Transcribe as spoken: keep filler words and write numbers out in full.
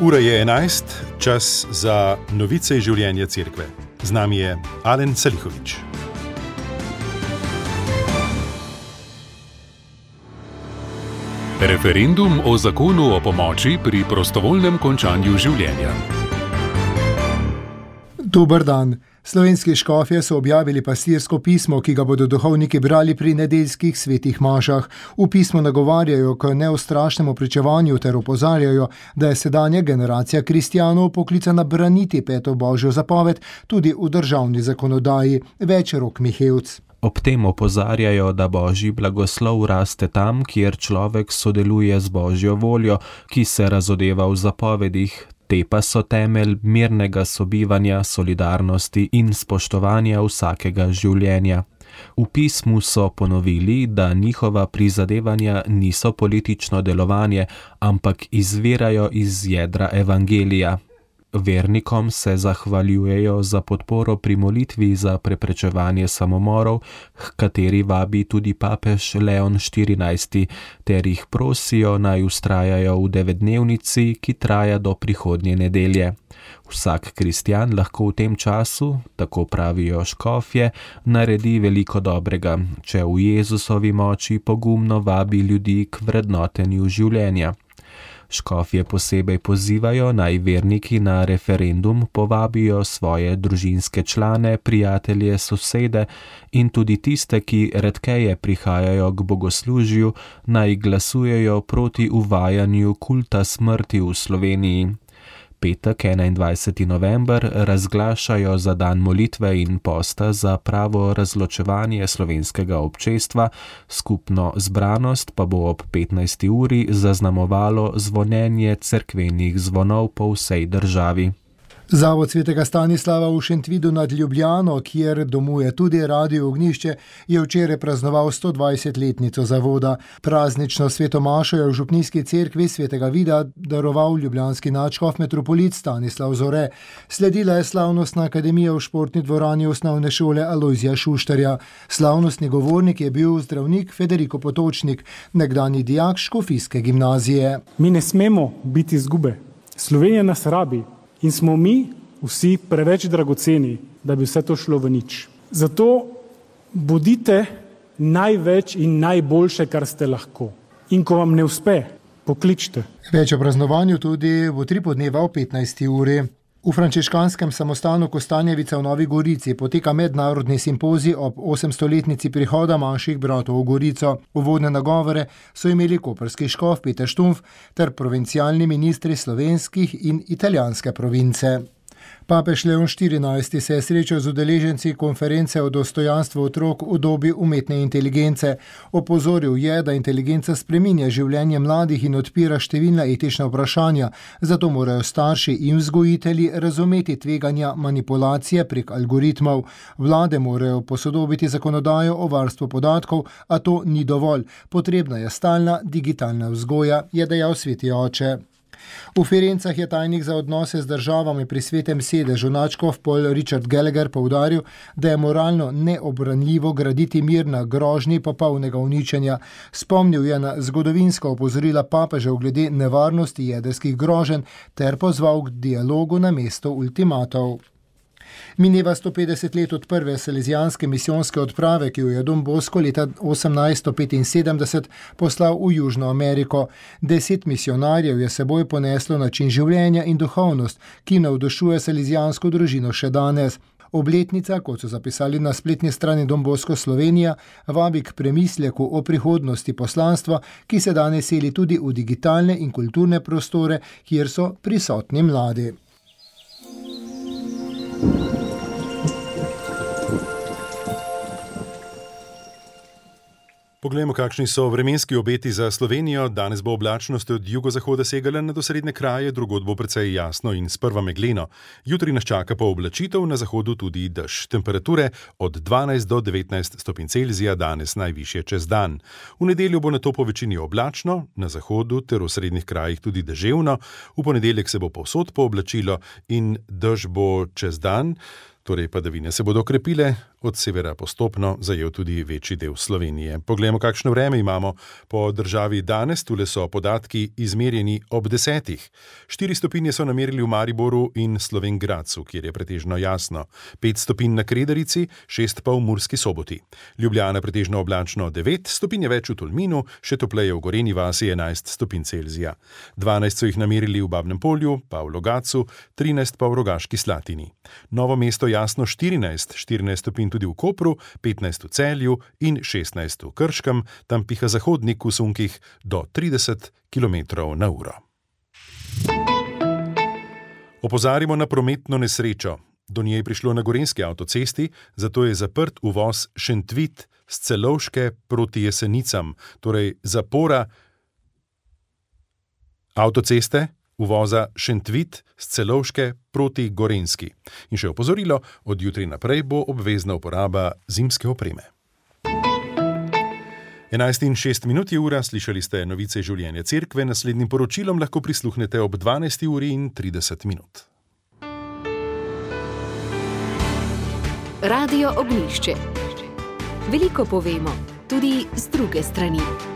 Ura je enajst, čas za novice iz življenja cerkve. Z nami je Alen Salihovič. Referendum o zakonu o pomoči pri prostovoljnem končanju življenja. Dober dan. Slovenski škofje so objavili pastirsko pismo, ki ga bodo duhovniki brali pri nedeljskih svetih mašah. V pismu nagovarjajo k neustrašnemu pričevanju ter opozarjajo, da je sedanja generacija kristjanov poklicana braniti peto božjo zapoved tudi v državni zakonodaji. Več Rok Mihevc. Ob tem opozarjajo, da božji blagoslov raste tam, kjer človek sodeluje z božjo voljo, ki se razodeva v zapovedih. Te pa so temelj mirnega sobivanja, solidarnosti in spoštovanja vsakega življenja. V pismu so ponovili, da njihova prizadevanja niso politično delovanje, ampak izvirajo iz jedra evangelija. Vernikom se zahvaljujejo za podporo pri molitvi za preprečevanje samomorov, h kateri vabi tudi papež Leon štirinajsti, ter jih prosijo naj vztrajajo v devetdnevnici, ki traja do prihodnje nedelje. Vsak kristjan lahko v tem času, tako pravijo škofje, naredi veliko dobrega, če v Jezusovi moči pogumno vabi ljudi k vrednotenju življenja. Škofje posebej pozivajo, naj verniki na referendum povabijo svoje družinske člane, prijatelje, sosede in tudi tiste, ki redkeje prihajajo k bogoslužju, naj glasujejo proti uvajanju kulta smrti v Sloveniji. Petek, enaindvajseti november, razglašajo za dan molitve in posta za pravo razločevanje slovenskega občestva, skupno zbranost pa bo ob petnajsti uri zaznamovalo zvonjenje cerkvenih zvonov po vsej državi. Zavod svetega Stanislava v Šentvidu nad Ljubljano, kjer domuje tudi Radio Ognjišče, je včeraj praznoval sto dvajsetletnico zavoda. Praznično svetomašo je v župnijski cerkvi svetega Vida daroval ljubljanski nadškof metropolit Stanislav Zore. Sledila je slavnostna akademija v športni dvorani osnovne šole Alojzija Šuštarja. Slavnostni govornik je bil zdravnik Federico Potočnik, nekdanji dijak škofijske gimnazije. Mi ne smemo biti izgube. Slovenija nas rabi. In smo mi vsi preveč dragoceni, da bi vse to šlo v nič. Zato bodite največ in najboljše, kar ste lahko. In ko vam ne uspe, pokličite. Več o praznovanju tudi v tri podneva o petnajsti uri. V frančiškanskem samostanu Kostanjevica v Novi Gorici poteka mednarodni simpozij ob osemstoletnici prihoda manjših bratov v Gorico. Uvodne nagovore so imeli koprski škof Peter Štumpf ter provincialni ministri slovenskih in italijanske province. Papež Leon štirinajsti se je srečal z udeleženci konference o dostojanstvu otrok v dobi umetne inteligence. Opozoril je, da inteligenca spreminja življenje mladih in odpira številna etična vprašanja, zato morajo starši in vzgojitelji razumeti tveganja manipulacije prek algoritmov. Vlade morajo posodobiti zakonodajo o varstvu podatkov, a to ni dovolj. Potrebna je stalna digitalna vzgoja, je dejal sveti oče. V Firencah je tajnik za odnose z državami pri svetem sedežu nadškof Paul Richard Gallagher poudaril, da je moralno neobranljivo graditi mir na grožnji popolnega uničenja. Spomnil je na zgodovinska opozorila papežev glede nevarnosti jedrskih groženj ter pozval k dialogu namesto ultimatov. Mineva sto petdeset let od prve salezijanske misijonske odprave, ki jo je Don Bosco leta osemnajststo petinsedemdeset poslal v Južno Ameriko. Deset misionarjev je seboj poneslo način življenja in duhovnost, ki navdušuje salezijansko družino še danes. Obletnica, kot so zapisali na spletni strani Don Bosco Slovenija, vabi k premisleku o prihodnosti poslanstva, ki se danes seli tudi v digitalne in kulturne prostore, kjer so prisotni mladi. Poglejmo, kakšni so vremenski obeti za Slovenijo. Danes bo oblačnost od jugozahoda segala na osrednje kraje, drugod bo precej jasno in sprva megleno. Jutri nas čaka pooblačitev, na zahodu tudi dež. Temperature od dvanajst do devetnajst stopinj Celzija, danes najvišje čez dan. V nedeljo bo nato po večini oblačno, na zahodu ter v srednjih krajih tudi deževno. V ponedeljek se bo povsod pooblačilo in dež bo čez dan. Torej padavine se bodo okrepile, od severa postopno zajel tudi večji del Slovenije. Poglejmo, kakšno vreme imamo po državi danes. Tule so podatki izmerjeni ob desetih. Štiri stopinje so namerili v Mariboru in Slovenj Gradcu, kjer je pretežno jasno. Pet stopinj na Kredarici, šest pa v Murski Soboti. Ljubljana pretežno oblačno devet, stopinje več v Tolminu, še topleje v Gorenji vasi enajst stopinj Celzija. dvanajst so jih namerili v Babnem Polju, pa v Logatcu, trinajst pa v Rogaški Slatini. Novo mesto jasno štirinajst, štirinajst stopinj tudi v Kopru, petnajst v Celju in šestnajst v Krškem, tam piha zahodnik v sunkih do trideset kilometrov na uro. Opozarjamo na prometno nesrečo. Do nje je prišlo na gorenjski avtocesti, zato je zaprt uvoz Šentvit z Celovške proti Jesenicam, torej zapora avtoceste uvoza Šentvit z Celovške proti Gorenjski. In še opozorilo, od jutri naprej bo obvezna uporaba zimske opreme. enajst in šest minut je ura, slišali ste novice življenja cerkve, naslednjim poročilom lahko prisluhnete ob dvanajsti uri in trideset minut. Radio Ognjišče. Veliko povemo, tudi z druge strani.